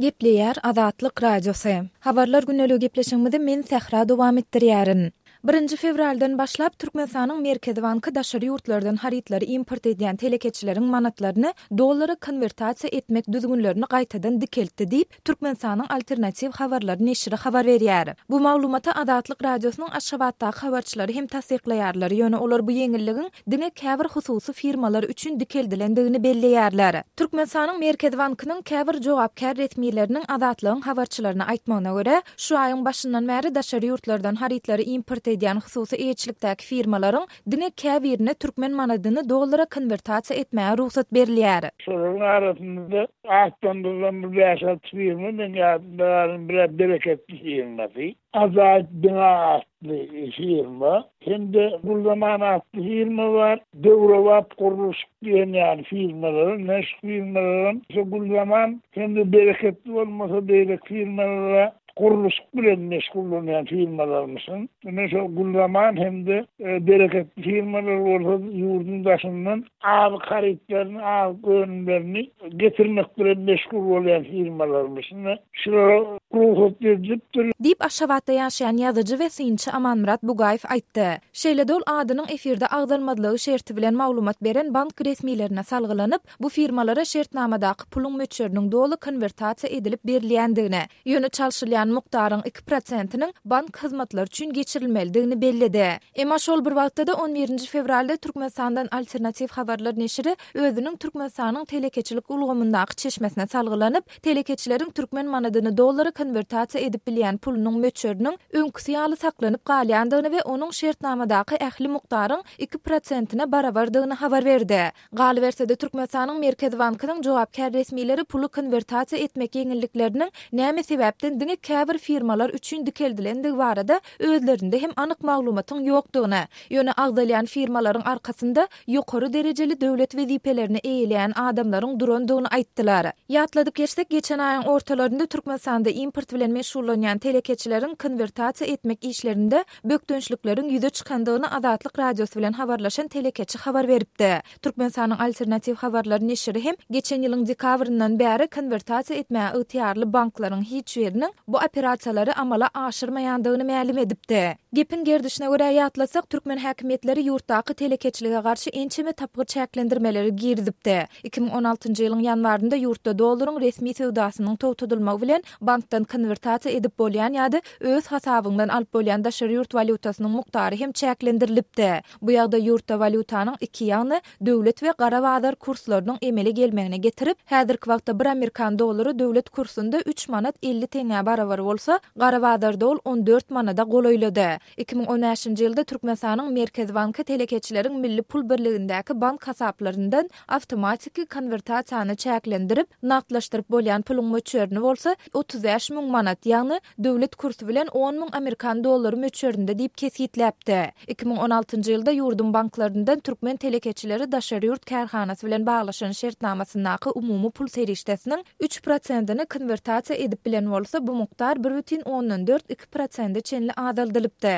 Gepleýär Azatlyk Radiosy. Habarlar gündeligi gepleşigimizi men Sähra dowam etdirýärin. Birinji fewraldan başlap, Türkmenistanyň Merkezi banky daşary ýurtlardan harytlary import edýän telekeçileriň manatlaryny dollara konwertasiýa etmek düzgünlerini gaýtadan dikeltdi diýip, Türkmenistanyň Alternatiw habarlary neşiri habar berýär. Bu maglumaty Azatlyk Radiosynyň Aşgabatdaky habarçylary hem tassyklaýarlar, ýöne olar bu ýeňilligiň diňe käbir hususy firmalar üçin dikeldilendigini belleýärler. Türkmenistanyň Merkezi bankynyň käbir jogapkär resmileriniň Azatlygyň habarçylaryna aýtmagyna görä, şu aýyň başyndan bäri daşary ýurtlardan harytlary import edýän hususy eýeçilikdäki firmalaryň diňe käbirine türkmen manadyny dollara konwertasiýa etmäge rugsat berilýär. Şolaryň arasynda-da atlandyrylan bir bäş-alty firma meň ýadymda galan bir-ä Bereketli firmasy. Ajaýyp bina atly firma hem-de Gülzaman atly firma bar. Döwrebap gurluşyk diýen ýaly firmalar, ine şu firmalaram şu Gülzaman hem-de Bereketli bolmasa beýleki firmalara gurluşyk bilen meşgullanýan firmalarmyşyn. Ine şo Gülzaman hem-de Bereketli firmalar bolsa ýurduň daşyndan azyk harytlaryny, azyk önümlerini getirmek bilen meşgul bolýan firmalarmyş. Ine, şulara rugsat berlipdir. Diýip, Aşgabatda ýaşaýan ýazyjy we synçy Amanmyrat Bugaýew aýtdy. Şeýle-de ol adynyň efirde agzalmazlygy şerti bilen maglumat beren bank resmilerine salgylanyp, bu firmalara şertnamadaky puluň möçberiniň doly konwertasiýa edilip berilýändigini, Ýöne çalşylýan mukdaryň iki prosentiniň bank hyzmatlary üçin geçirilmelidigini belledi. Emma şol bir wagtda-da on birinji fewralda Türkmenistandan Alternatiw habarlar neşiri özüniň Türkmenistanyň telekeçilik ulgamyndaky çeşmesine salgylanyp, telekeçileriň türkmen manadyny dollara konwertasiýa edip bilýän pulunyň möçberiniň öňküsi ýaly saklanyp galýandygyny we onuň şertnamadaky ähli mukdaryň iki prosentine barabardygyny habar berdi. Galyberse-de, Türkmenistanyň Merkezi bankynyň jogapkär resmileri puly konwertasiýa etmek ýeňillikleriniň näme sebäpden diňe käbir firmalar üçin dikeldilendigi barada özlerinde hem anyk maglumatyň ýokdugyny, ýöne agzalýan firmalaryň arkasynda ýokary derejeli döwlet wezipelerini eýeleýän adamlaryň durandygyny aýtdylar. Ýatladyp geçsek, geçen aýyň ortalarynda Türkmenistanda import bilen meşgullanýan telekeçileriň konwertasiýa etmek işlerinde bökdençlikleriň ýüze çykandygyny Azatlyk Radiosy bilen habarlaşan telekeçi habar beripdi. Türkmenistanyň Alternatiw habarlary neşiri hem geçen ýylyň dekabryndan bäri konwertasiýa etmäge ygtyýarly banklaryň hiç biriniň bu operasiýalary amala aşyrmaýandygyny mälim edipdi. Gepiň gerdişine görä ýatlasak, türkmen häkimiýetleri ýurtdaky telekeçilige garşy ençeme tapgyr çäklendirmeleri girizipdi. 2016-njy ýylyň ýanwarynda ýurtda dollaryň resmi söwdasynyň togtadylmagy bilen bankdan konwertasiýa edip bolýan ýa-da öz hasabyňdan alyp bolýan daşary ýurt walýutasynyň mukdary hem çäklendirilipdi. Bu ýagdaý ýurtda walýutanyň iki, ýagny döwlet we gara bazar kurslarynyň emele gelmegine getirip, häzirki wagtda bir amerikan dollary döwlet kursunda üç manat 50 teňňä barabar bolsa, gara bazarda ol 14 manada golaýlady. 2015-nji ýylda Türkmenistanyň Merkezi banky telekeçileriň milli pul birligindäki bank hasaplaryndan awtomatiki konwertasiýany çäklendirip, nagtlaşdyryp bolýan puluň möçberini bolsa 35 müň manat, ýagny döwlet kursy bilen on müň amerikan dollary möçberinde diýip kesgitläpdi. 2016-njy ýylda ýurduň banklaryndan türkmen telekeçileri daşary ýurt kärhanasy bilen baglaşan şertnamasyndaky umumy pul serişdesiniň üç prosentini konwertasiýa edip bilen bolsa, bu mukdar bir bütin ondan dört iki prosente çenli azaldylypdy.